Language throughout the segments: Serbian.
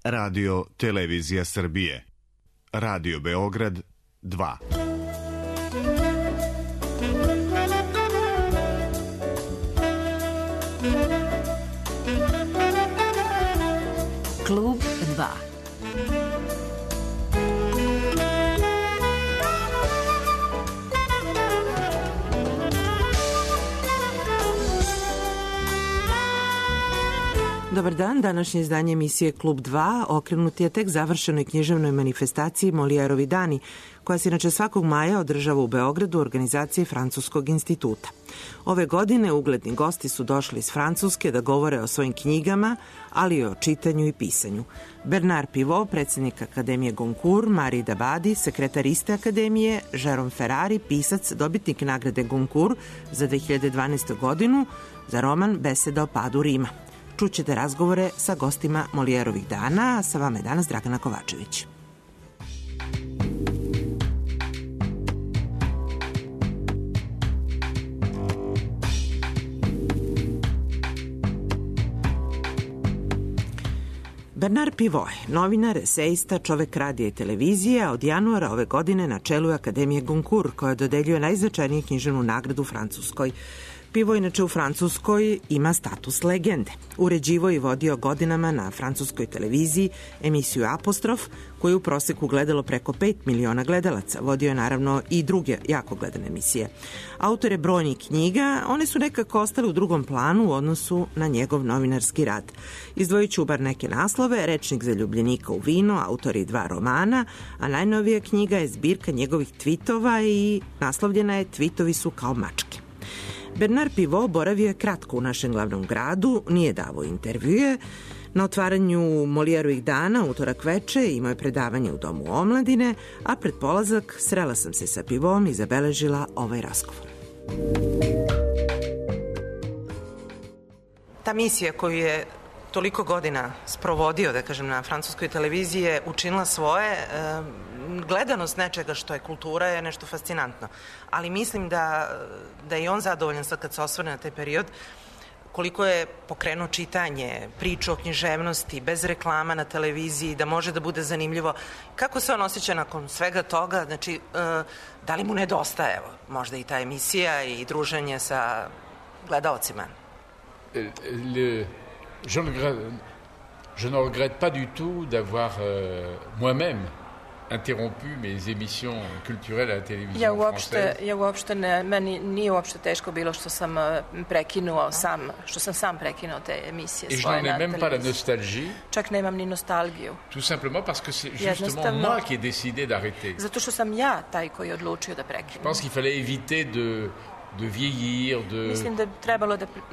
Radio Televizija Srbije. Radio Beograd 2. Klub 2. Dobar dan, današnje izdanje emisije Klub 2 okrenut je tek završenoj književnoj manifestaciji Molijerovi dani, koja se inače svakog maja održava u Beogradu u organizaciji Francuskog instituta. Ove godine ugledni gosti su došli iz Francuske da govore o svojim knjigama, ali i o čitanju i pisanju. Bernard Pivot, predsjednik Akademije Goncourt, Marie Dabadi, sekretar iste akademije, Jérôme Ferrari, pisac, dobitnik nagrade Goncourt za 2012. godinu za roman Beseda o padu Rima. Čućete razgovore sa gostima Molijerovih dana, a sa vama je danas Dragana Kovačević. Bernard Pivot, novinar, esejista, čovek radija i televizije, a od januara ove godine na čelu je Akademije Goncourt, koja dodeljuje najznačajniju književnu nagradu u Francuskoj. Pivot, inače u Francuskoj, ima status legende. Uređivo i vodio godinama na francuskoj televiziji emisiju Apostrof, koju je u proseku gledalo preko 5 miliona gledalaca. Vodio je naravno i druge jako gledane emisije. Autor je brojnih knjiga, one su nekako ostale u drugom planu u odnosu na njegov novinarski rad. Izdvojit ću bar neke naslove: Rečnik zaljubljenika u vino, autor je 2 romana, a najnovija knjiga je zbirka njegovih tvitova i naslovljena je Tvitovi su kao mačke. Bernard Pivot boravio je kratko u našem glavnom gradu, nije davao intervjue. Na otvaranju Molijerovih dana, utorak veče, imao je predavanje u Domu omladine, a pred polazak srela sam se sa Pivotom i zabeležila ovaj razgovor. Ta misija koju je toliko godina sprovodio, da kažem, na francuskoj televiziji je učinila svoje. Gledanost nečega što je kultura je nešto fascinantno. Ali mislim da je i on zadovoljan sad kad se osvrne na taj period, koliko je pokrenuo čitanje, priču o književnosti, bez reklama na televiziji, da može da bude zanimljivo. Kako se on osjeća nakon svega toga? Znači, da li mu nedostaje, evo, možda i ta emisija i druženje sa gledaocima? Je ne regrette pas du tout d'avoir moi-même interrompu mes émissions culturelles à la télévision française. Meni nije uopšte teško bilo što sam prekinuo sam prekinuo te emisije svoje na televiziji. Et je n'en ai même pas la nostalgie. Čak nemam ni nostalgiju. Tout simplement parce que c'est justement moi qui ai décidé d'arrêter. Zato što sam ja taj koji je odlučio da prekinem. Je pense qu'il fallait éviter de vieillir,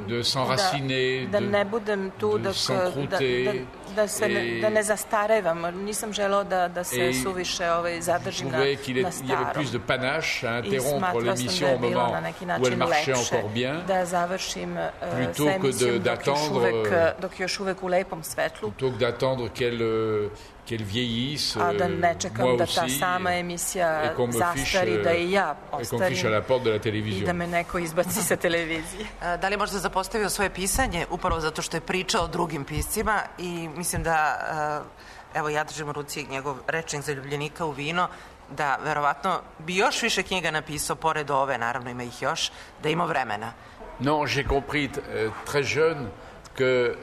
de s'enraciner, da ne budem tu, de s'encrouter, da ne zastarevam. Nisam želeo da se suviše zadržim na starom. Je trouvais qu'il y avait plus de panache à interrompre l'émission au moment où elle marchait encore bien, da završim plutôt que d'attendre, dok još uvek u lepom svetlu, plutôt que d'attendre qu'elle vieillisse, a da ne čekam da ta sama emisija zastari, da i ja ostarim i da me neko izbaci sa televizije. Da li je možda zapostavio svoje pisanje upravo zato što je pričao o drugim piscima i mislim da, evo ja držim u ruci njegov Rečnik zaljubljenika u vino, da verovatno bi još više knjiga napisao, pored ove, naravno ima ih još, da ima vremena. Non, j'ai compris très jeune que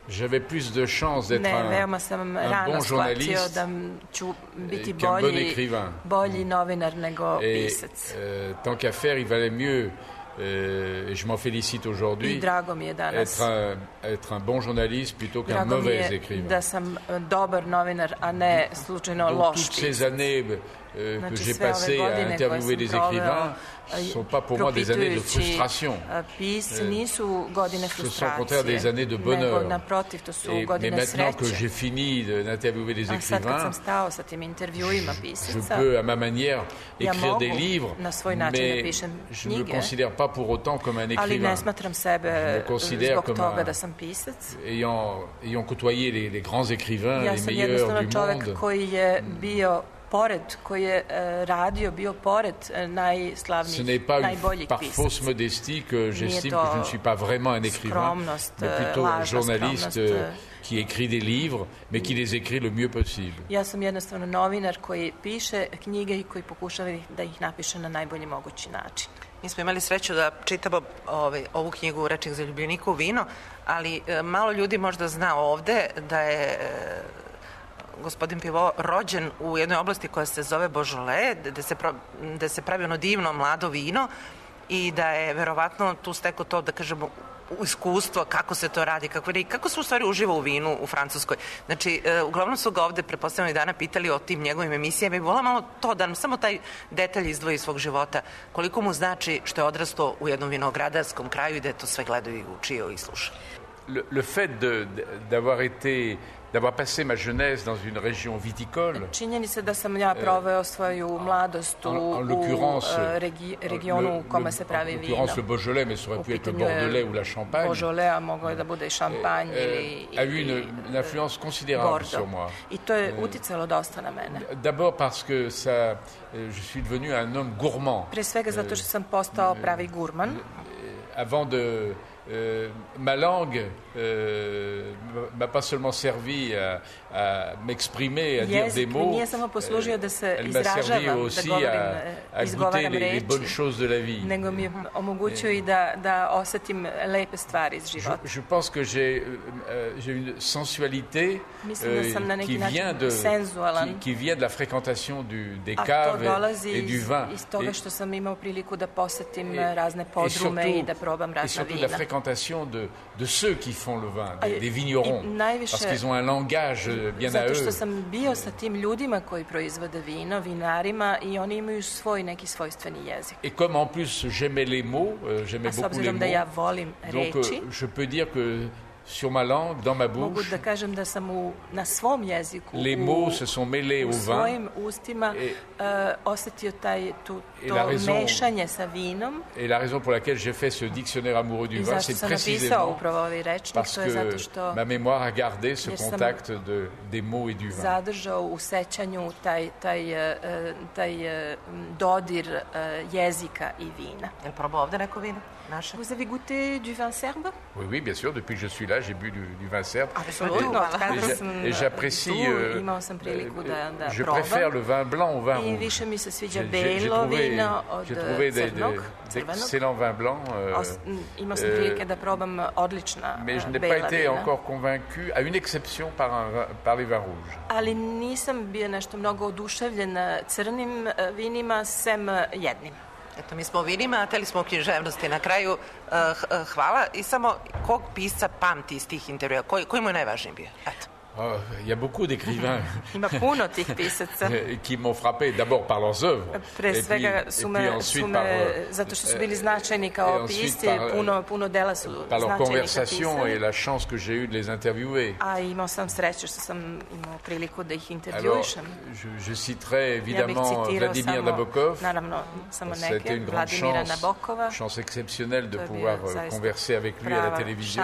j'avais plus de chance d'être un bon journaliste qu'un bon écrivain. Bolji novinar nego pisac. Tant qu'à faire, il valait mieux, et je m'en félicite aujourd'hui, être un bon journaliste plutôt qu'un mauvais écrivain. Da sam dobar novinar, a ne slučajno loš pisac. Toutes ces années que j'ai passées à interviewer des écrivains ne sont pas pour moi des années de frustration. Ce sont au contraire des années de bonheur. Mais maintenant que j'ai fini d'interviewer des écrivains, je peux à ma manière écrire des livres, mais je ne me considère pas pour autant comme un écrivain. Je me considère comme ayant côtoyé les grands écrivains, les meilleurs du monde. Koji je radio, bio pored najslavnijih, najboljih pisaca. Ce n'est pas par fausse modestie que j'estime que je ne suis pas vraiment un écrivain, mais plutôt un journaliste qui écrit des livres, mais qui les écrit le mieux possible. Ja sam jednostavno novinar koji piše knjige i koji pokušava da ih napiše na najbolji mogući način. Mi smo imali sreću da čitamo ovu knjigu Rečnik za ljubljenika u vino, ali malo ljudi možda zna ovde da je gospodin Pivot rođen u jednoj oblasti koja se zove Beaujolais, gde se pravi ono divno mlado vino i da je verovatno tu stekao to, da kažemo, iskustvo kako se to radi, kako se u stvari uživa u vinu u Francuskoj. Znači, uglavnom su ga ovde prepostavljeni dana pitali o tim njegovim emisijama i vola malo to da nam samo taj detalj izdvoji iz svog života. Koliko mu znači što je odrastao u jednom vinogradarskom kraju i da je to sve gledao i učio i slušao. Le fait d'avoir passé ma jeunesse dans une région viticole. Činjeni se da sam ja proveo svoju mladost u regionu u kome se pravi vino. En l'occurrence le Beaujolais, mais ça aurait pu être le Bordelais ou la Champagne. Beaujolais, a moglo je da bude i Šampanj ili a eu une influence considérable sur moi. I to je uticalo dosta na mene. D'abord parce que je suis devenu un homme gourmand. Pre svega zato što sam postao pravi gurman. Avant de ma langue m'a pas seulement servi à m'exprimer, à dire des mots, elle m'a servi aussi à goûter les bonnes choses de la vie. Nego mi je omogućio i da osetim lepe stvari iz života. Je pense que j'ai une sensualité qui vient de la fréquentation des caves et du vin. Iz toga što sam imao priliku da posetim razne podrume i da probam razna vina. De ceux qui font le vin, des vignerons, parce qu'ils ont un langage bien à eux. Zato što sam bio sa tim ljudima koji proizvode vino, vinarima, i oni imaju svoj neki svojstveni jezik. Et comme en plus j'aimais les mots, j'aimais beaucoup les mots, da ja volim reči, donc je peux dire que sur ma langue, dans ma bouche, mogu da kažem da sam na svom jeziku, les mots se sont mêlés au vin, svojim ustima osetio to mešanje sa vinom. Et la raison pour laquelle j'ai fait ce dictionnaire amoureux du vin, c'est précisément parce que ma mémoire a gardé ce contact des mots et du vin. Zadržao u sećanju taj dodir jezika i vina. Jel probao ovde neko vino? Vous avez goûté du vin serbe? Oui, oui, bien sûr. Depuis que je suis là, j'ai bu du vin serbe. Et j'apprécie. Je préfère le vin blanc au vin rouge. J'ai trouvé d'excellents vins blancs. Mais je n'ai pas été encore convaincu, à une exception, par les vins rouges. Ali nisam bio nešto mnogo oduševljen crnim vinima, sem jednim. Eto, mi smo o vinima, a teli smo o književnosti. Na kraju, hvala. I samo, kog pisca pamti iz tih intervjua? Koji mu je najvažniji bio? Eto. Il y a beaucoup d'écrivains qui m'ont frappé d'abord par leurs œuvres et puis ensuite par leur conversation et la chance que j'ai eue de les interviewer. Alors, je citerai évidemment Vladimir Nabokov. C'était une grande chance exceptionnelle de pouvoir converser avec lui à la télévision.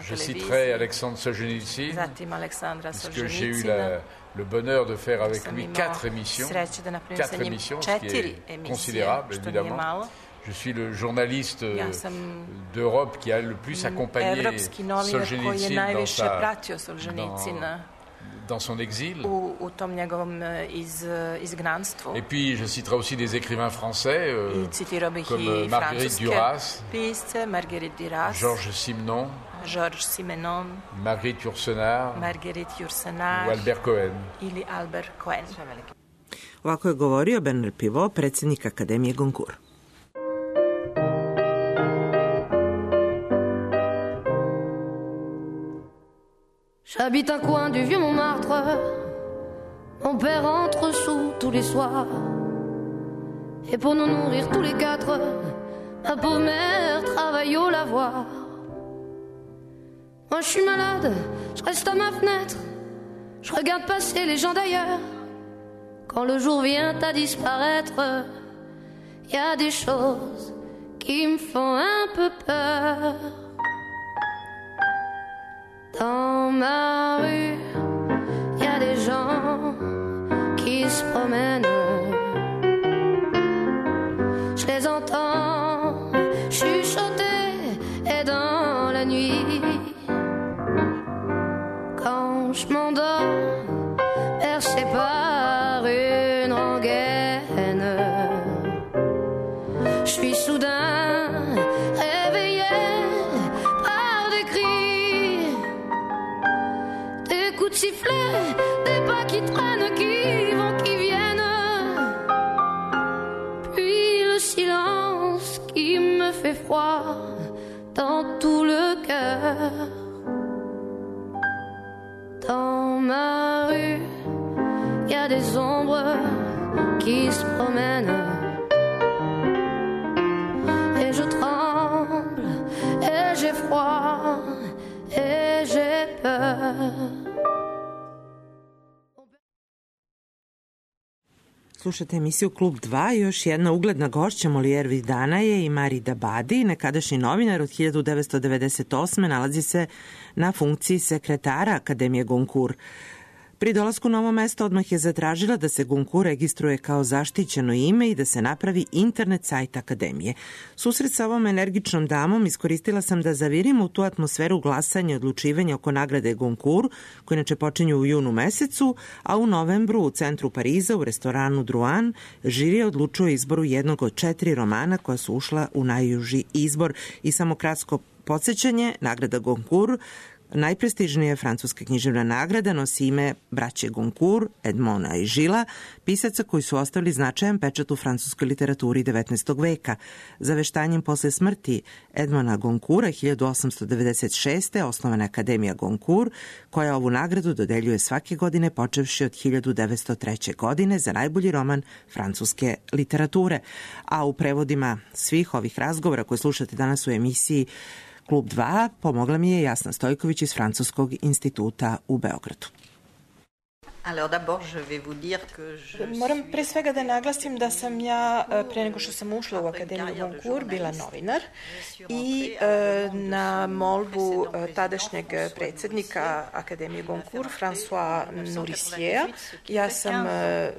Je citerai Alexandre Solzhenitsyn, puisque j'ai eu le bonheur de faire avec lui 4 émissions, ce qui est considérable, évidemment. Je suis le journaliste d'Europe qui a le plus accompagné Solzhenitsyn dans son exil. Et puis je citerai aussi des écrivains français comme Marguerite Duras, Georges Simenon, Marguerite Yourcenar ou Albert Cohen. Ovako je govorio Bernard Pivot, predsjednik Akademije Goncourt. J'habite un coin du vieux Montmartre. Mon père entre sous tous les soirs. Et pour nous nourrir tous les 4, ma pauvre mère travaille au lavoir. Moi je suis malade, je reste à ma fenêtre. Je regarde passer les gens d'ailleurs. Quand le jour vient à disparaître, y a des choses qui me font un peu peur. Dans ma rue, y a des gens qui se promènent. Je les entends chuchoter et dans la nuit, je m'endors, bercé par une rengaine. Je suis soudain réveillé par des cris, des coups de sifflet, des pas qui traînent, qui vont, qui viennent. Puis le silence qui me fait froid dans tout le cœur. Dans ma rue, il y a des ombres qui se promènent. Et je tremble, et j'ai froid, et j'ai peur. Slušate emisiju Klub 2, još jedna ugledna gošća Molière Vidana je i Mari Dabadi, nekadašnji novinar od 1998. nalazi se na funkciji sekretara Akademije Goncourt. Pri dolasku na ovo mesto odmah je zatražila da se Goncourt registruje kao zaštićeno ime i da se napravi internet sajt Akademije. Susret sa ovom energičnom damom iskoristila sam da zavirim u tu atmosferu glasanja i odlučivanja oko nagrade Goncourt, koje inače počinju u junu mesecu, a u novembru u centru Pariza u restoranu Drouin žirija odlučuje izboru jednog od 4 romana koja su ušla u najuži izbor. I samo kratko podsjećanje, nagrada Goncourt, najprestižnija francuska književna nagrada, nosi ime braće Goncourt, Edmona i Žila, pisaca koji su ostavili značajan pečat u francuskoj literaturi 19. veka. Zaveštanjem posle smrti Edmona Goncourta 1896. osnovana je Akademija Goncourt, koja ovu nagradu dodeljuje svake godine počevši od 1903. godine za najbolji roman francuske literature. A u prevodima svih ovih razgovora koje slušate danas u emisiji Klub 2 pomogla mi je Jasna Stojković iz Francuskog instituta u Beogradu. Moram pre svega da naglasim da sam ja, pre nego što sam ušla u Akademiju Goncourt, bila novinar i na molbu tadašnjeg predsednika Akademije Goncourt, François Nourrissieja, ja sam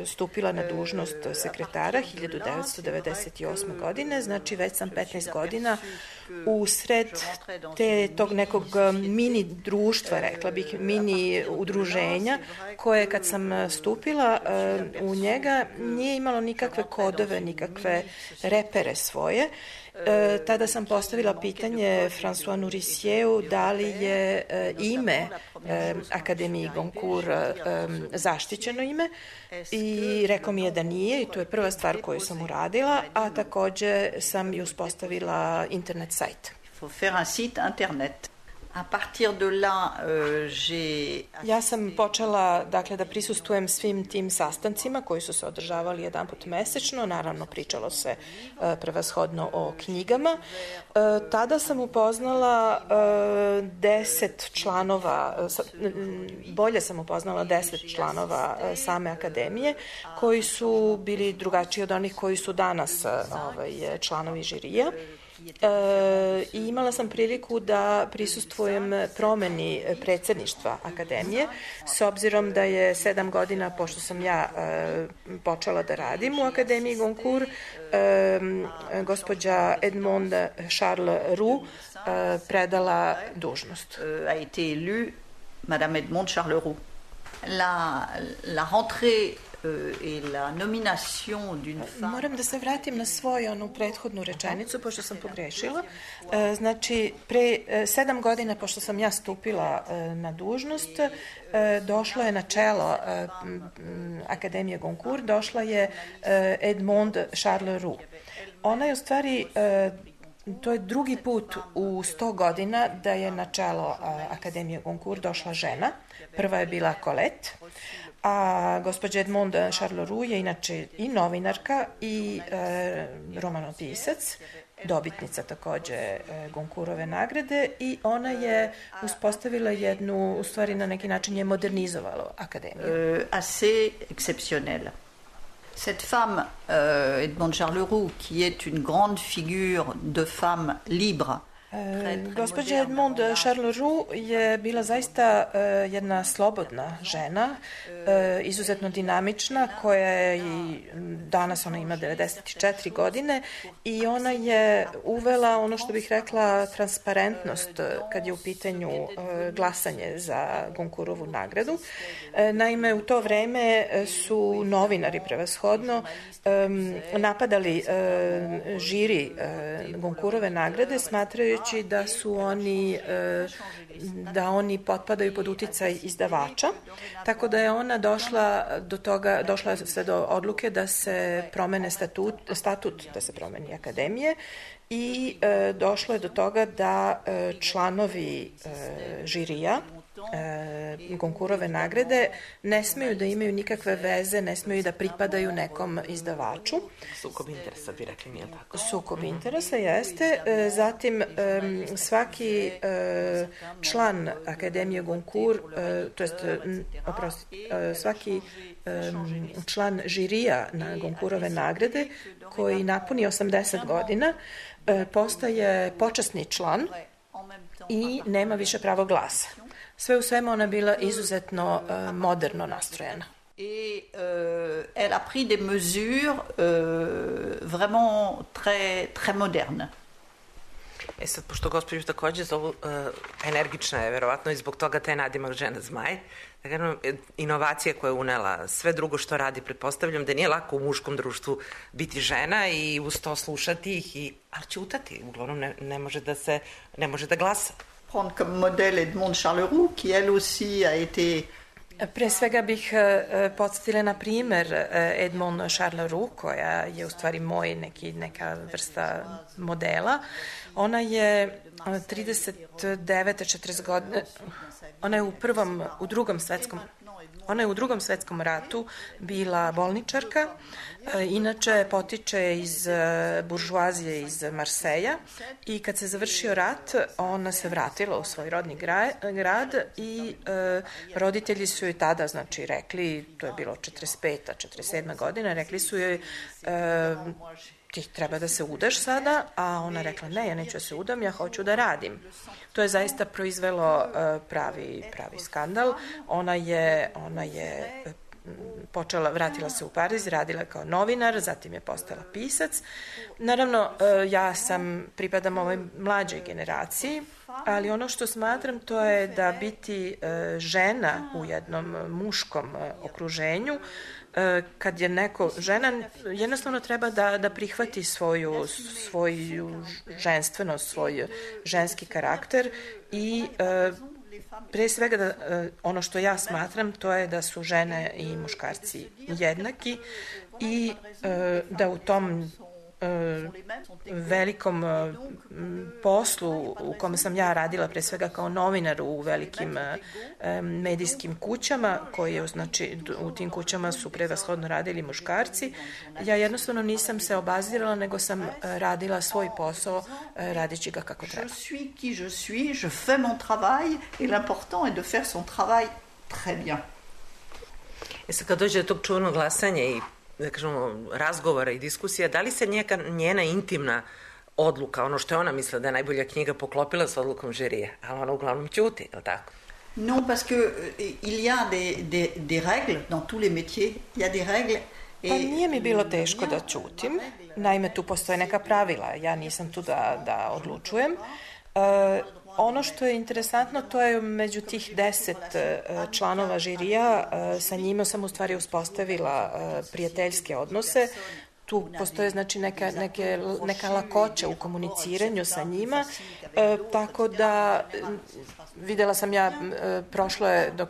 stupila na dužnost sekretara 1998. godine, znači već sam 15 godina usred tog nekog mini društva, rekla bih, mini udruženja, koje kad sam stupila u njega nije imalo nikakve kodove, nikakve repere svoje. Tada sam postavila pitanje François Nourrissieju da li je ime Akademiji Goncourt zaštićeno ime i rekao mi je da nije i to je prva stvar koju sam uradila, a takođe sam i uspostavila internet sajt. Ja sam počela da prisustvujem svim tim sastancima koji su se održavali jedanput mesečno, naravno pričalo se prevashodno o knjigama. Tada sam upoznala 10 članova, bolje sam upoznala 10 članova same akademije, koji su bili drugačiji od onih koji su danas članovi žirija. I imala sam priliku da prisustvujem promeni predsedništva Akademije, s obzirom da je 7 godina, pošto sam ja počela da radim u Akademiji Goncourt, gospođa Edmond Charles Roux predala dužnost. A été élue Madame Edmond Charles Roux. La rentrée Moram da se vratim na svoju onu prethodnu rečenicu, pošto sam pogrešila. Znači, pre 7 godina, pošto sam ja stupila na dužnost, došlo je na čelo Akademije Goncourt, došla je Edmond Charles Roux. Ona je u stvari, to je drugi put u 100 godina da je na čelo Akademije Goncourt došla žena. Prva je bila Colette, a gospođa Edmond Charles Roux je inače i novinarka i romanopisac, dobitnica takođe Goncourtove nagrade, i ona je uspostavila jednu, u stvari na neki način je modernizovalo akademiju. Assez exceptionnelle. Cette femme, Edmond Charles Roux, qui est une grande figure de femme libre, Gospođa Edmond Charles-Roux je bila zaista jedna slobodna žena, izuzetno dinamična, koja je i danas ona ima 94 godine i ona je uvela ono što bih rekla transparentnost kad je u pitanju glasanje za Goncourtovu nagradu. Naime, u to vreme su novinari prevashodno napadali žiri Goncourtove nagrade, smatrajući da oni potpadaju pod uticaj izdavača, tako da je ona došla se do odluke da se promene statut, da se promeni akademije i došlo je do toga da članovi žirija Goncourtove nagrade ne smeju da imaju nikakve veze, ne smeju da pripadaju nekom izdavaču. Sukob interesa bi rekli, nije tako? Sukob interesa jeste. Zatim svaki član Akademije Goncourt, svaki član žirija na Goncourtove nagrade koji napuni 80 godina postaje počasni član i nema više pravo glasa. Sve u svemu ona bila izuzetno moderno nastrojena. Et elle a pris des mesures vraiment très modernes. Sad, pošto gospođu takođe zovu energična je, verovatno i zbog toga taj nadimak žena zmaj, inovacija koja je unela sve drugo što radi, pretpostavljam da nije lako u muškom društvu biti žena i uz to slušati ih, ali ćutati, uglavnom ne može da glasa. Prendre comme modèle Edmond Charles-Roux, qui elle aussi a été... Pre svega bih podsjetila na primer Edmond Charles-Roux, koja je u stvari neka vrsta modela. Ona je 39-40 godine, ona je u drugom svetskom ratu bila bolničarka, inače potiče iz buržuazije iz Marseja i kad se završio rat, ona se vratila u svoj rodni grad i roditelji su joj tada, znači, rekli, to je bilo 45. 47. godina, rekli su joj ti treba da se udaš sada, a ona rekla ne, ja neću da se udam, ja hoću da radim. To je zaista proizvelo pravi skandal. Ona je vratila se u Pariz, radila kao novinar, zatim je postala pisac. Naravno, ja pripadam ovoj mlađoj generaciji, ali ono što smatram to je da biti žena u jednom muškom okruženju, kad je žena, jednostavno treba da prihvati svoju ženstvenost, svoj ženski karakter i pre svega ono što ja smatram to je da su žene i muškarci jednaki i da u tom velikom poslu u kome sam ja radila pre svega kao novinar u velikim medijskim kućama, znači u tim kućama su prevashodno radili muškarci, ja jednostavno nisam se obazirala, nego sam radila svoj posao radići ga kako treba. Je suis qui je suis, je fais mon travail et l'important est de faire son travail très bien. Sad kad dođe do tog čuvenog glasanja i da kažemo, razgovora i diskusija, da li se njena intimna odluka, ono što je ona mislila da je najbolja knjiga, poklopila s odlukom žirije, a ona uglavnom ćuti, je li tako? Non, parce que il y a des règles dans tous les métiers, il y a des règles. Pa nije mi bilo teško da ćutim, naime tu postoje neka pravila, ja nisam tu da odlučujem. Ono što je interesantno, to je među tih 10 članova žirija, sa njima sam u stvari uspostavila prijateljske odnose. Tu postoje znači neka lakoća u komuniciranju sa njima, tako da videla sam ja,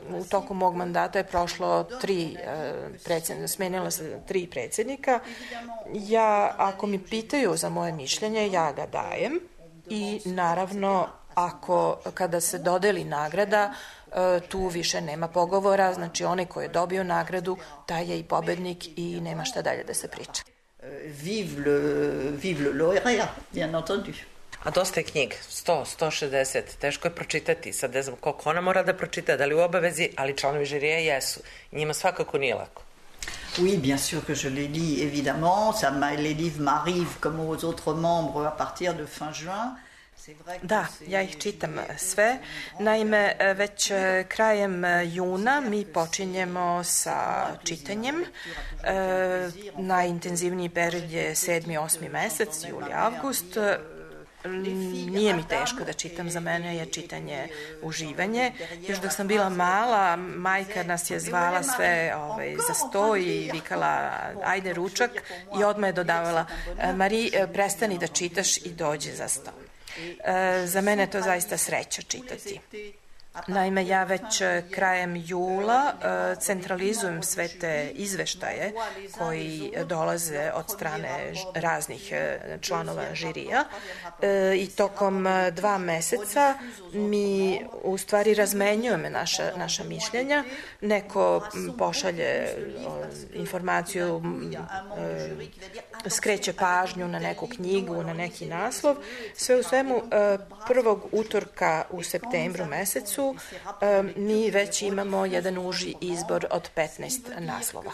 u toku mog mandata je prošlo smenila se 3 predsjednika. Ja, ako mi pitaju za moje mišljenje, ja ga dajem i naravno kada se dodeli nagrada, tu više nema pogovora, znači onaj koji je dobio nagradu, taj je i pobednik i nema šta dalje da se priča. Vive le lauréat, bien entendu. A dosta je knjiga, 160, teško je pročitati, sad ne znam koliko ona mora da pročita, da li u obavezi, ali članovi žirije jesu, njima svakako nije lako. Oui, bien sûr que je les lis, évidemment, les livres m'arrivent comme aux autres membres à partir de fin juin. Da, ja ih čitam sve. Naime, već krajem juna mi počinjemo sa čitanjem. Najintenzivniji period je 7. 8. mesec, juli, avgust. Nije mi teško da čitam, za mene je čitanje uživanje. Još dok sam bila mala, majka nas je zvala sve za sto i vikala ajde ručak i odmah je dodavala Mari, prestani da čitaš i dođi za sto. Za mene je to zaista sreća čitati. Naime, ja već krajem jula centralizujem sve te izveštaje koji dolaze od strane raznih članova žirija i tokom 2 meseca mi u stvari razmenjujemo naša mišljenja. Neko pošalje informaciju, skreće pažnju na neku knjigu, na neki naslov. Sve u svemu, prvog utorka u septembru mesecu mi već imamo jedan uži izbor od 15 naslova.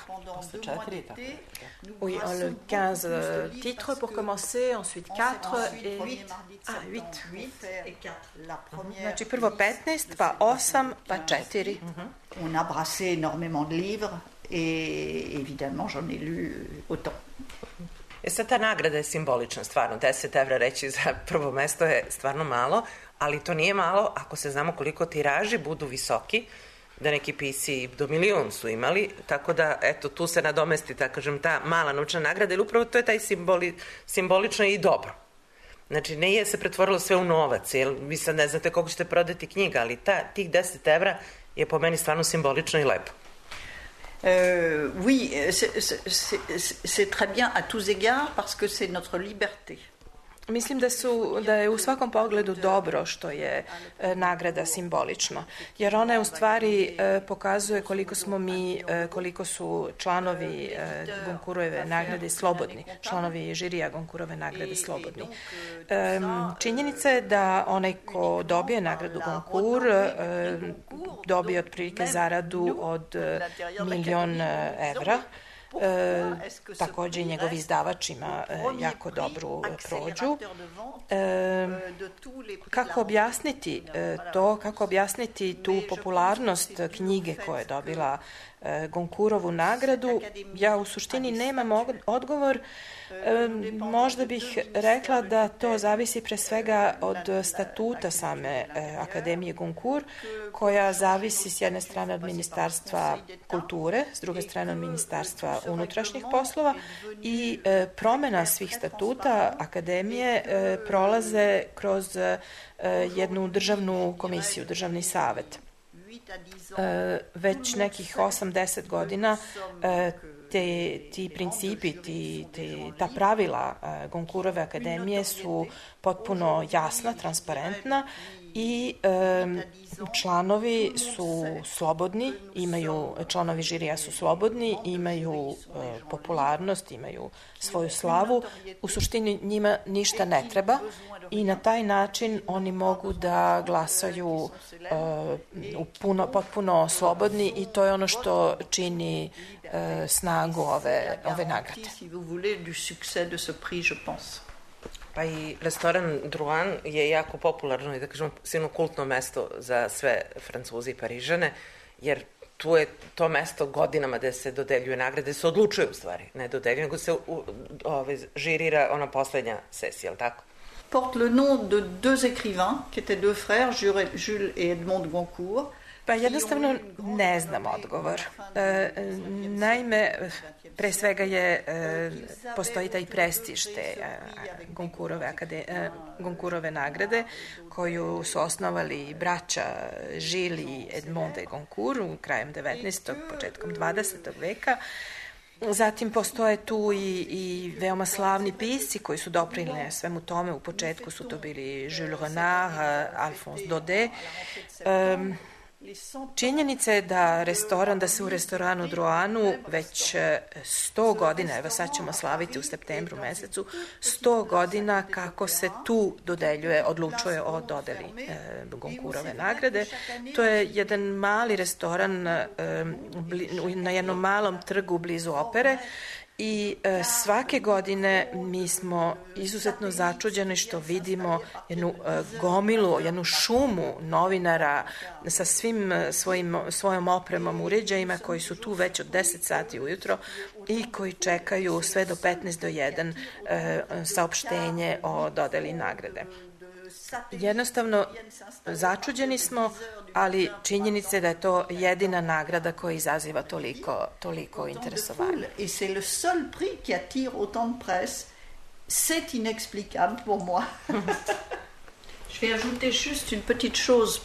Oui, le 15 titres pour commencer, ensuite 4 et 8. Znači prvo 15, pa 8, pa 4. On a brassé énormément de livres et évidemment j'en ai lu autant. Sad ta nagrada je simbolična, stvarno, 10 evra reći za prvo mesto je stvarno malo, ali to nije malo ako se znamo koliko tiraži budu visoki, da neki pisci do 1 milion su imali, tako da, eto, tu se nadomesti, tako kažem, ta mala novčana nagrada, ili upravo to je taj simbolično i dobro. Znači, nije se pretvorilo sve u novac, jer vi sad ne znate koliko ćete prodati knjiga, ali tih 10 evra je po meni stvarno simbolično i lepo. Oui, c'est très bien à tous égards parce que c'est notre liberté. Mislim da je u svakom pogledu dobro što je nagrada simbolično, jer ona je u stvari pokazuje koliko su članovi Goncourtove nagrade slobodni, članovi žirija Goncourtove nagrade slobodni. Činjenica je da onaj ko dobije nagradu Goncourt dobije otprilike zaradu od 1 milion evra. Takođe i njegov izdavač ima jako dobru prođu. Kako objasniti to, kako objasniti tu popularnost knjige koja je dobila Goncourtovu nagradu? Ja u suštini nemam odgovor. Možda bih rekla da to zavisi pre svega od statuta same Akademije Goncourt, koja zavisi s jedne strane od Ministarstva kulture, s druge strane od Ministarstva unutrašnjih poslova i promena svih statuta Akademije prolaze kroz jednu državnu komisiju, državni savet. Već nekih 8-10 godina ti principi, ta pravila Goncourtove akademije su potpuno jasna, transparentna i članovi su slobodni, članovi žirija su slobodni, imaju popularnost, imaju svoju slavu. U suštini njima ništa ne treba i na taj način oni mogu da glasaju potpuno slobodni i to je ono što čini snagu ove nagrade. Pa i restoran Drouin je jako popularno i da kažemo silno kultno mesto za sve Francuze i Parižane, jer tu je to mesto godinama gde se dodeljuje nagrade, gde se odlučuje u stvari, ne dodeljuje, nego se žirira ona poslednja sesija, ali tako? Porte le nom de deux écrivains, qui étaient deux frères, Jules et Edmond Goncourt. Pa jednostavno ne znam odgovor. Naime, pre svega postoji taj prestiž te Goncourtove nagrade koju su osnovali braća Gilles i Edmond de Goncourt krajem 19. početkom 20. veka. Zatim postoje tu i veoma slavni pisci koji su doprineli svemu tome. U početku su to bili Jules Renard, Alphonse Daudet. Činjenica je da se u restoranu Drouinu već 100 godina, evo sad ćemo slaviti u septembru mesecu, 100 godina kako se tu odlučuje o dodeli Goncourtove nagrade. To je jedan mali restoran na jednom malom trgu blizu opere i svake godine mi smo izuzetno začuđeni što vidimo jednu gomilu, jednu šumu novinara sa svim svojom opremom, uređajima koji su tu već od 10 sati ujutro i koji čekaju sve do 15 do 1 saopštenje o dodeli nagrade. Jednostavno, začuđeni smo, ali činjenica je da je to jedina nagrada koja izaziva toliko interesovanja. Et c'est le seul prix qui attire autant de presse. C'est inexplicable pour moi. Je vais ajouter juste une petite chose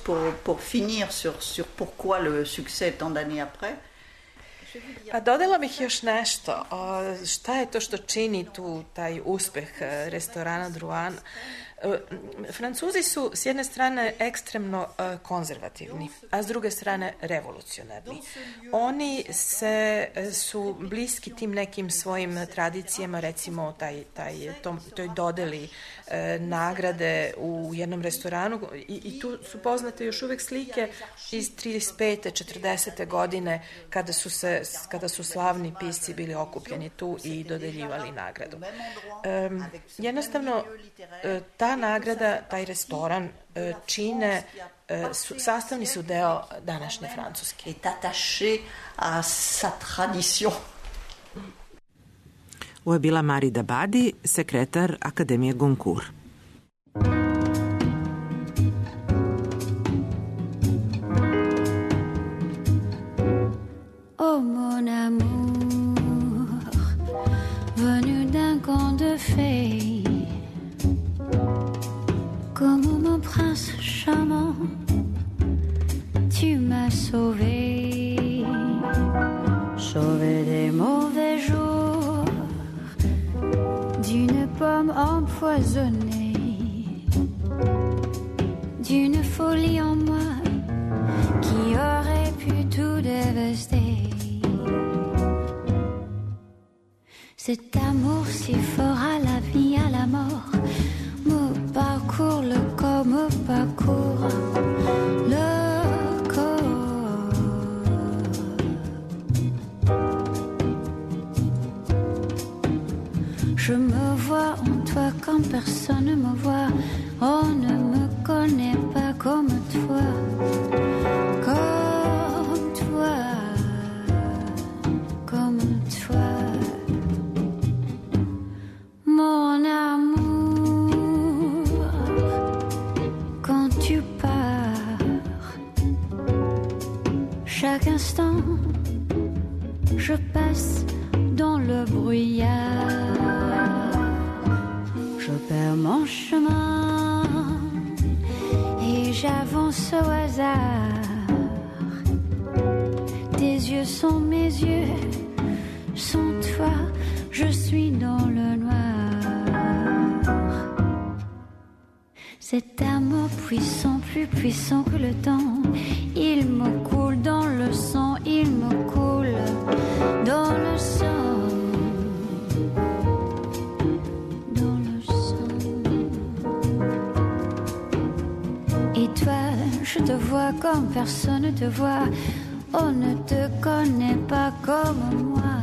pour finir sur pourquoi le succès tant d'années après. A dodala bih još nešto. Šta je to što čini taj uspeh restorana Drouin? Francuzi su s jedne strane ekstremno konzervativni, a s druge strane revolucionarni. Oni su bliski tim nekim svojim tradicijama, recimo toj dodeli nagrade u jednom restoranu i tu su poznate još uvek slike iz 35. 40. godine kada su slavni pisci bili okupljeni tu i dodeljivali nagradu. Jednostavno, ta nagrada, taj restoran čine, sastavni su deo današnje Francuske. Est attaché à sa tradition. Ovo je bila Marie Dabadi, sekretar Akademije Goncourt. Oh mon amour, venu d'un conte de fées, comme mon prince charmant, tu m'as sauvé, sauvé des mauvais jours, d'une pomme empoisonnée, d'une folie en moi qui aurait pu tout dévaster. Cet amour si fort à la vie, à la mort, me parcourt le corps, me parcourt le corps. Je me vois en toi quand personne ne me voit. On ne me connaît pas comme toi, comme toi, comme toi. Mon amour, quand tu pars, chaque instant, je passe dans le brouillard. Je perds mon chemin et j'avance au hasard. Tes yeux sont mes yeux, sans toi, je suis dans le noir. Cet amour puissant, plus puissant que le temps, il me coule dans le sang, il me coule dans le sang. Dans le sang. Et toi, je te vois comme personne ne te voit. On ne te connaît pas comme moi,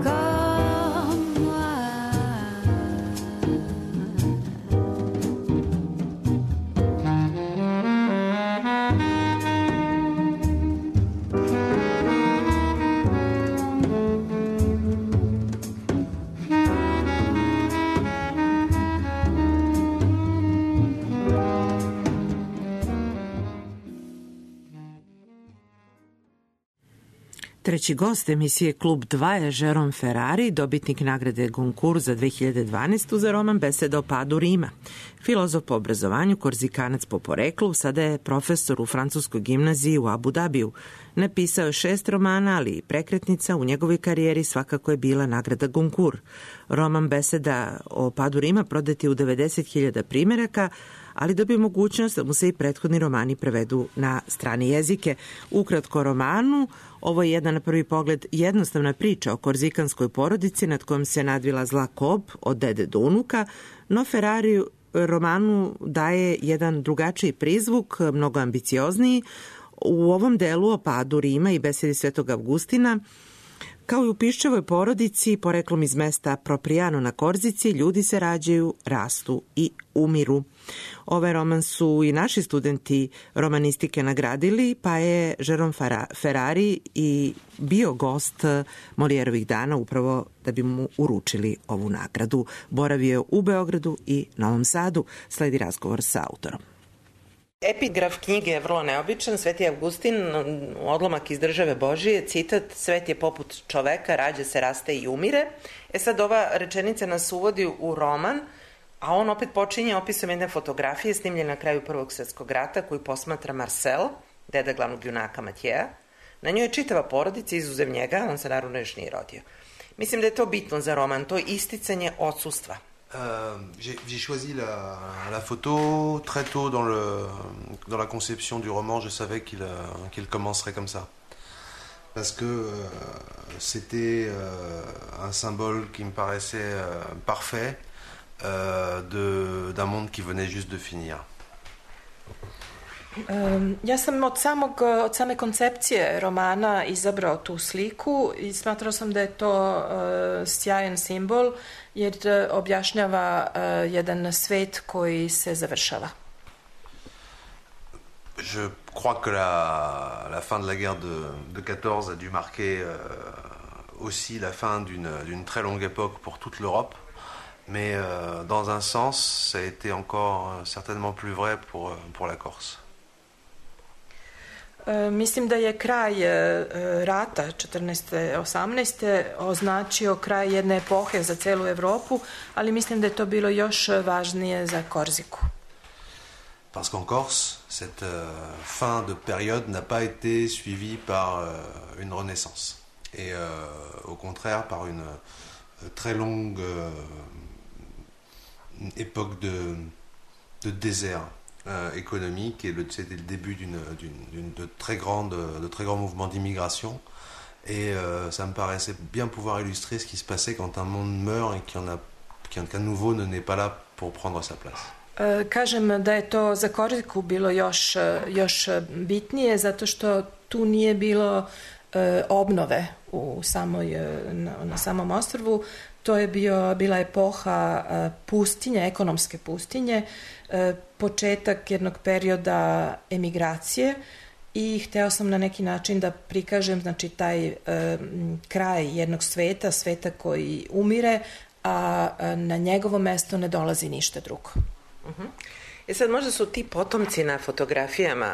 comme moi. Treći gost emisije Klub 2 je Jérôme Ferrari, dobitnik nagrade Goncourt za 2012. za roman Beseda o padu Rima. Filozof po obrazovanju, korzikanac po poreklu, sada je profesor u francuskoj gimnaziji u Abu Dabiju. Napisao je 6 romana, ali i prekretnica u njegovoj karijeri svakako je bila nagrada Goncourt. Roman Beseda o padu Rima prodat je u 90.000 primeraka, ali dobio mogućnost da mu se i prethodni romani prevedu na strane jezike. Ukratko romanu, ovo je jedna na prvi pogled jednostavna priča o korzikanskoj porodici nad kojom se nadvila zla kob od dede do unuka, no Ferrari romanu daje jedan drugačiji prizvuk, mnogo ambiciozniji. U ovom delu o padu Rima i besedi Svetog Avgustina Kao i u Piščevoj porodici, poreklom iz mesta Propriano na Korzici, ljudi se rađaju, rastu i umiru. Ovaj roman su i naši studenti romanistike nagradili, pa je Jérôme Ferrari i bio gost Molièrovih dana upravo da bi mu uručili ovu nagradu. Boravio u Beogradu i Novom Sadu. Sledi razgovor sa autorom. Epigraf knjige je vrlo neobičan. Sveti Avgustin, odlomak iz Države Božije, citat: svet je poput čoveka, rađa se, raste i umire. Sad ova rečenica nas uvodi u roman, a on opet počinje opisom jedne fotografije snimljene na kraju Prvog svjetskog rata koju posmatra Marcel, deda glavnog junaka Matjeja. Na njoj je čitava porodica, izuzev njega, on se naravno još nije rodio. Mislim da je to bitno za roman, to isticanje odsustva. J'ai choisi la photo très tôt dans la conception du roman. Je savais qu'il commencerait comme ça. Parce que c'était un symbole qui me paraissait parfait d'un monde qui venait juste de finir. Ja sam od same koncepcije romana izabrao tu sliku i smatrao sam da je to sjajan simbol jer objašnjava jedan svet koji se završava. Je crois que la fin de la guerre de 14 a dû marquer aussi la fin d'une très longue époque pour toute l'Europe. Mais dans un sens, ça a été encore certainement plus vrai pour la Corse. Mislim da je kraj rata 14-18 označio kraj jedne epohe za celu Evropu, ali mislim da je to bilo još važnije za Korziku. Parce qu'en Corse, cette fin de période n'a pas été suivie par une renaissance. Et au contraire, par une très longue époque de désert économique, et c'était le début de très grands mouvements d'immigration, et ça me paraissait bien pouvoir illustrer ce qui se passait quand un monde meurt et qu'un nouveau ne n'est pas là pour prendre sa place. Kažem da je to za Korziku bilo još bitnije zato što tu nije bilo obnove na samom ostrvu. To je bila epoha pustinje, ekonomske pustinje, početak jednog perioda emigracije i hteo sam na neki način da prikažem znači, taj kraj jednog sveta koji umire, a na njegovo mesto ne dolazi ništa drugo. Sad možda su ti potomci na fotografijama,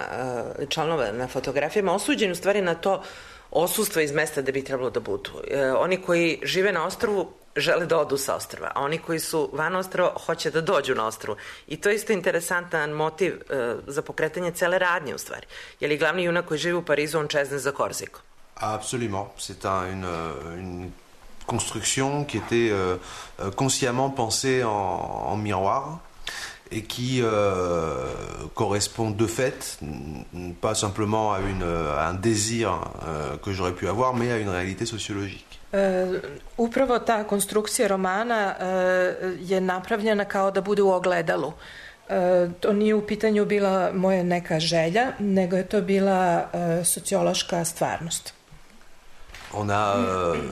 članova na fotografijama osuđeni u stvari na to odsustvo iz mesta da bi trebalo da budu. Oni koji žive na ostrvu žele da odu sa ostrva, a oni koji su van ostrva hoće da dođu na ostrvu. I to je isto interesantan motiv za pokretanje cele radnje u stvari. Je li glavni junak koji živi u Parizu, on čezne za Korziku? Absolument. C'est une construction qui était consciemment pensée en miroir et qui correspond de fait pas simplement à un désir que j'aurais pu avoir, mais à une réalité sociologique. Upravo ta konstrukcija romana je napravljena kao da bude u ogledalu. To nije u pitanju bila moja neka želja, nego je to bila sociološka stvarnost. On a,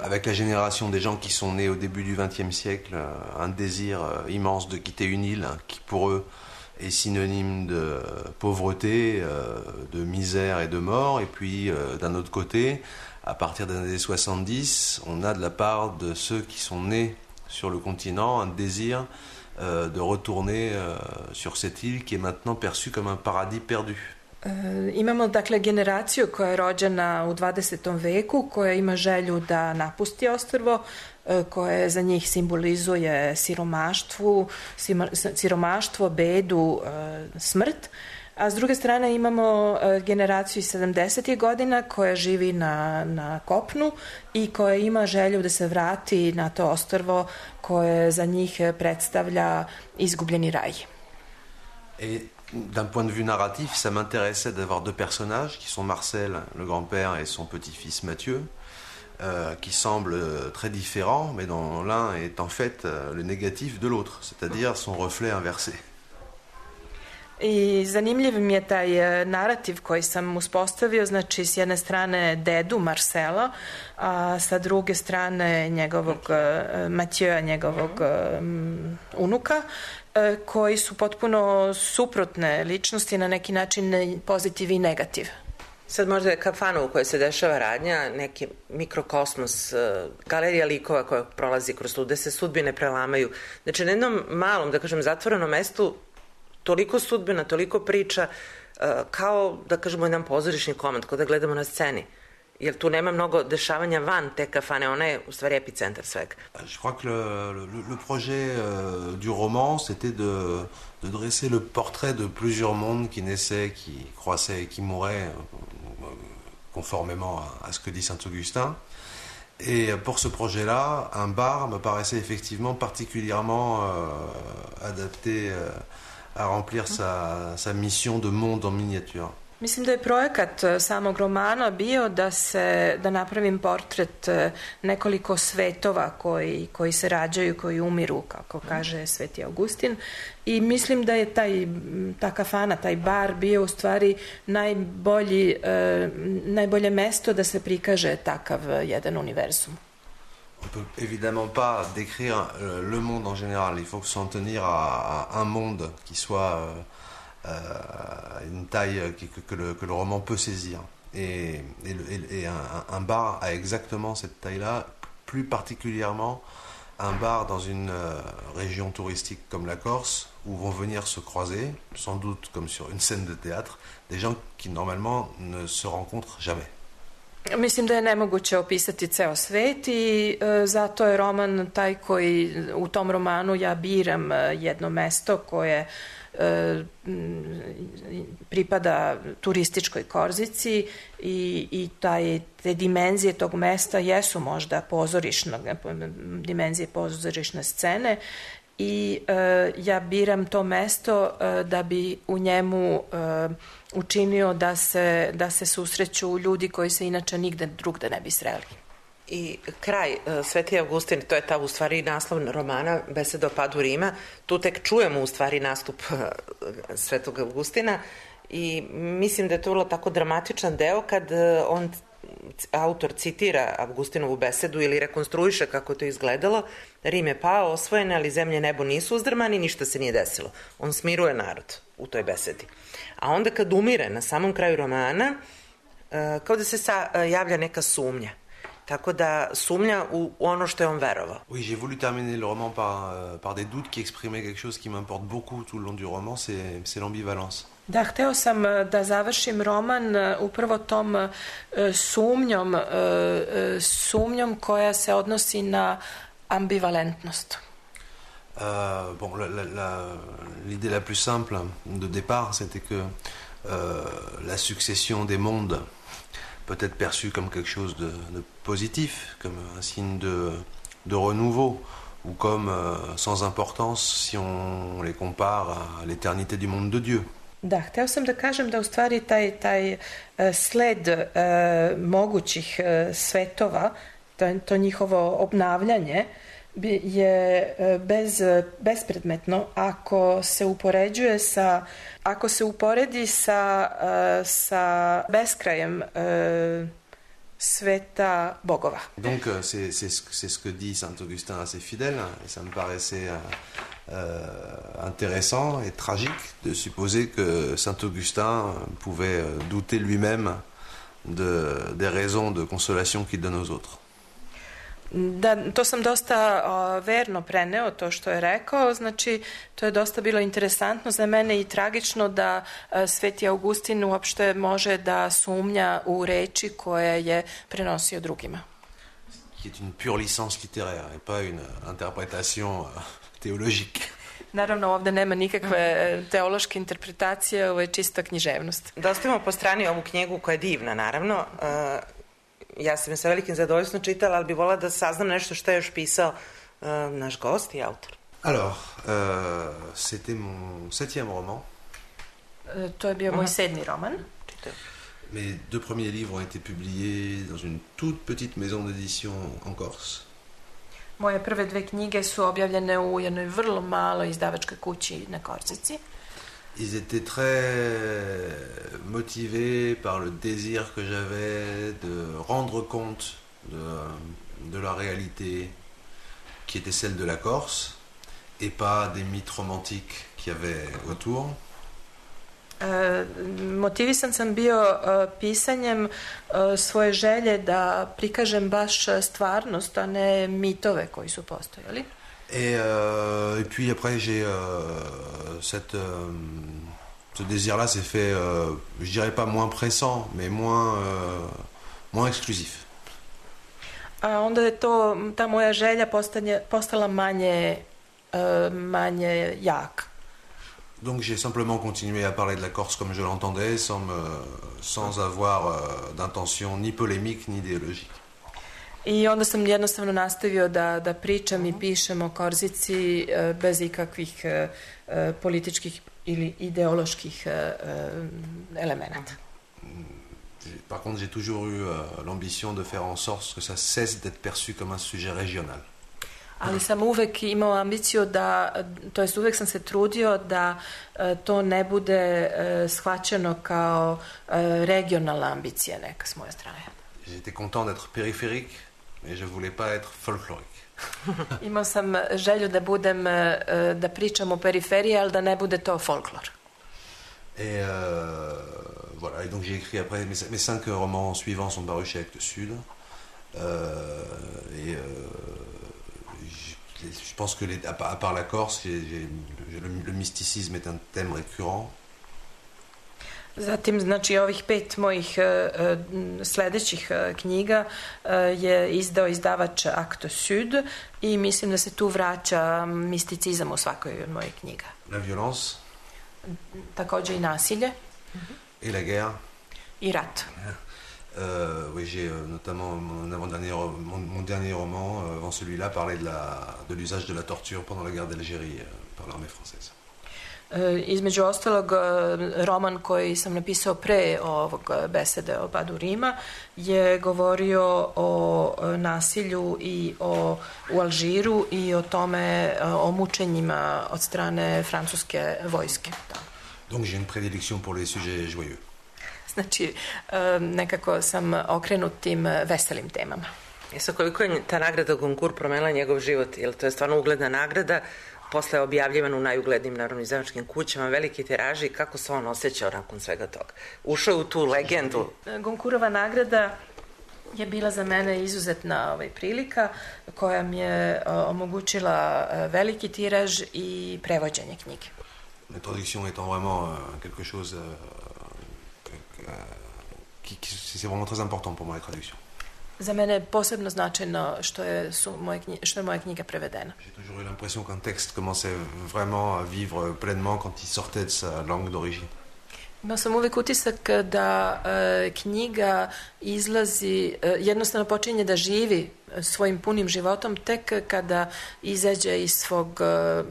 avec la génération des gens qui sont nés au début du XXe siècle, un désir immense de quitter une île qui, pour eux, est synonyme de pauvreté, de misère et de mort. Et puis, d'un autre côté, à partir des années 70, on a de la part de ceux qui sont nés sur le continent un désir de retourner sur cette île qui est maintenant perçue comme un paradis perdu. Imamo dakle generaciju koja je rođena u 20. veku, koja ima želju da napusti ostrvo, koje za njih simbolizuje siromaštvo, bedu, smrt. A s druge strane imamo generaciju iz 70. godina koja živi na kopnu i koja ima želju da se vrati na to ostrvo koje za njih predstavlja izgubljeni raj. D'un point de vue narratif, ça m'intéressait d'avoir deux personnages qui sont Marcel, le grand-père, et son petit-fils Mathieu, qui semblent très différents, mais dont l'un est en fait le négatif de l'autre, c'est-à-dire son reflet inversé. I zanimljiv mi je taj narativ koji sam uspostavio, znači s jedne strane dedu Marcela, a sa druge strane njegovog Mathieu, njegovog unuka, koji su potpuno suprotne ličnosti, na neki način pozitiv i negativ. Sad možda je kafana u kojoj se dešava radnja, neki mikrokosmos, galerija likova koja prolazi kroz tu, gde se sudbine prelamaju. Znači na jednom malom, da kažem, zatvorenom mestu toliko sudbina, toliko priča, kao, da kažemo, jedan pozorišni komad, kao da gledamo na sceni. Jer tu nema mnogo dešavanja van te kafane, ona je u stvari epicentar svega. Je crois que le projet du roman, c'était de dresser le portrait de plusieurs mondes qui naissaient, qui croissaient et qui mouraient, conformément à ce que dit Saint-Augustin. Et pour ce projet-là, un bar me paraissait effectivement particulièrement adapté à remplir sa mission de monde en miniature. Mislim da je projekat samog romana bio da napravim portret nekoliko svetova koji se rađaju, koji umiru, kako kaže Sveti Augustin. I mislim da je ta kafana, taj bar bio u stvari najbolje mesto da se prikaže takav jedan univerzum. On ne peut évidemment pas décrire le monde en général. Il faut s'en tenir à un monde qui soit une taille que le roman peut saisir. Et un bar a exactement cette taille-là, plus particulièrement un bar dans une région touristique comme la Corse, où vont venir se croiser, sans doute comme sur une scène de théâtre, des gens qui normalement ne se rencontrent jamais. Mislim da je nemoguće opisati ceo svet i zato je roman taj koji, u tom romanu ja biram jedno mesto koje pripada turističkoj Korzici i te dimenzije tog mesta jesu možda dimenzije pozorišne scene i ja biram to mesto da bi u njemu učinio da se susreću ljudi koji se inače nigde drugde ne bi sreli. I kraj, Sveti Augustin, to je ta u stvari naslov romana Beseda o padu Rima, tu tek čujemo u stvari nastup Svetog Augustina i mislim da je to vrlo tako dramatičan deo kad autor citira Augustinovu besedu ili rekonstruiše kako je to izgledalo. Rim je pao, osvojen, ali zemlje i nebo nisu uzdrmani, ništa se nije desilo. On smiruje narod u toj besedi. A onda kad umire na samom kraju romana, kao da se javlja neka sumnja. Tako da sumnja u ono što je on verovao. Oui, j'ai voulu terminer le roman par des doutes qui exprimaient quelque chose qui m'importe beaucoup tout le long du roman, c'est l'ambivalence. Da, hteo sam da završim roman upravo tom sumnjom koja se odnosi na ambivalentnost. Bon, l'idée la plus simple de départ, c'était que la succession des mondes peut être perçue comme quelque chose de positif, comme un signe de renouveau, ou comme sans importance si on les compare à l'éternité du monde de Dieu. Da, hteo sam da kažem da u stvari taj sled mogućih svetova, to njihovo obnavljanje je bespredmetno ako se uporedi sa beskrajem sveta bogova. Donc c'est ce que dit Saint Augustin à ses fidèles et ça me paraissait intéressant et tragique de supposer que Saint Augustin pouvait douter lui-même des raisons de consolation qu'il donne aux autres. Da, to sam dosta verno preneo, to što je rekao, znači to je dosta bilo interesantno za mene i tragično da Sveti Augustin uopšte može da sumnja u reči koje je prenosio drugima. Qui est une pure licence littéraire et pas une interprétation théologique. Naravno, ovde nema nikakve teološke interpretacije, ovo je čista književnost. Da ostavimo po strani ovu knjigu koja je divna, naravno. Ja sam je sa velikim zadovoljstvom čitala, ali bi volila da saznam nešto što je još pisao naš gost i autor. Alors, c'était mon 7e roman. To je bio moj 7. roman. Mes 2 premiers livres ont été publiés dans une toute petite maison d'édition en Corse. Moje prve 2 knjige su objavljene u jednoj vrlo maloj izdavačkoj kući na Korzici. Ils étaient très motivés par le désir que j'avais de rendre compte de la réalité qui était celle de la Corse et pas des mythes romantiques qu'il y avait autour. Motivisan sam bio pisanjem svoje želje da prikažem baš stvarnost, a ne mitove koji su postojali. Et puis après, ce désir-là s'est fait, je dirais pas moins pressant, mais moins exclusif. A onda je ta moja želja postala manje jaka. Donc j'ai simplement continué à parler de la Corse comme je l'entendais, sans avoir d'intention ni polémique ni idéologique. I onda sam jednostavno nastavio da pričam i pišem o Korzici bez ikakvih političkih ili ideoloških elemenata. Par contre, j'ai toujours eu l'ambition de faire en sorte que ça cesse d'être perçu comme un sujet régional. Ali sam uvek imao ambiciju to jest uvek sam se trudio da to ne bude shvaćeno kao regionalna ambicija neka s moje strane. J'étais content d'être périphérique, mais je voulais pas être folklorique. Imao sam želju da pričam o periferiji, ali da ne bude to folklor. Et voilà, et donc j'ai écrit après mes 5 romans suivants sont parus chez Actes Sud. Je pense que à part la Corse, le mysticisme est un thème récurrent. Zatim, znači, ovih 5 mojih sledećih knjiga je izdao izdavač Actes Sud i mislim da se tu vraća misticizam u svakoj od mojih knjiga. La violence. Takođe i nasilje. Et la guerre. I rat. Oui, j'ai notamment mon dernier roman, avant celui-là, parlait de l'usage de la torture pendant la guerre d'Algérie par l'armée française. Između ostalog, roman koji sam napisao pre ovog besede o padu Rima je govorio o nasilju i u Alžiru i o tome, o mučenjima od strane francuske vojske. Donc j'ai une prédilection pour les sujets joyeux. Znači, nekako sam okrenut tim veselim temama. Jesu, koliko je ta nagrada Goncourt promenila njegov život? Jer to je stvarno ugledna nagrada, posle je objavljivana u najuglednijim narodno izdavačkim kućama, veliki tiraži, kako se on osjećao nakon svega toga? Ušao u tu legendu. Goncourtova nagrada je bila za mene izuzetna prilika koja mi je omogućila veliki tiraž i prevođenje knjige. La traduction étant vraiment quelque chose c'est vraiment très important pour moi, la traduction. Za mene je posebno značajno što je moja knjiga prevedena. J'ai toujours eu l'impression qu'un texte commençait vraiment à vivre pleinement quand il sortait de sa langue d'origine. Imao sam uvijek utisak da knjiga izlazi, jednostavno počinje da živi svojim punim životom tek kada izađe iz svog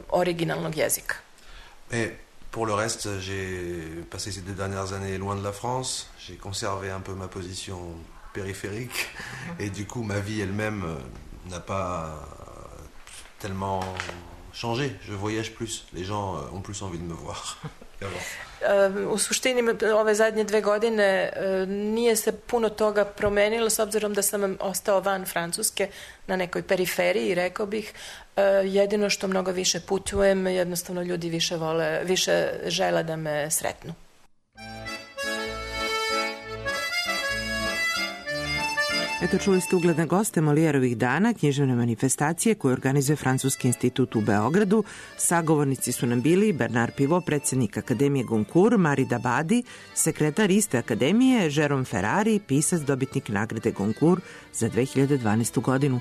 originalnog jezika. Mais pour le reste, j'ai passé ces 2 dernières années loin de la France. J'ai conservé un peu ma position périphérique et du coup ma vie elle-même n'a pas tellement changé. Je voyage plus. Les gens ont plus envie de me voir. U suštini ove zadnje 2 godine nije se puno toga promenilo s obzirom da sam ostao van Francuske na nekoj periferiji, rekao bih. Jedino što mnogo više putujem, jednostavno ljudi više žele da me sretnu. Eto, čuli ste ugledne goste Molijerovih dana, književne manifestacije koje organizuje Francuski institut u Beogradu. Sagovornici su nam bili Bernard Pivot, predsjednik Akademije Goncourt, Marie Dabadi, sekretar iste akademije, Jérôme Ferrari, pisac, dobitnik nagrade Goncourt za 2012. godinu.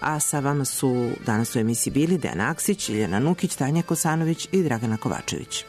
A sa vama su danas u emisiji bili Dejan Aksić, Iljana Nukić, Tanja Kosanović i Dragana Kovačević.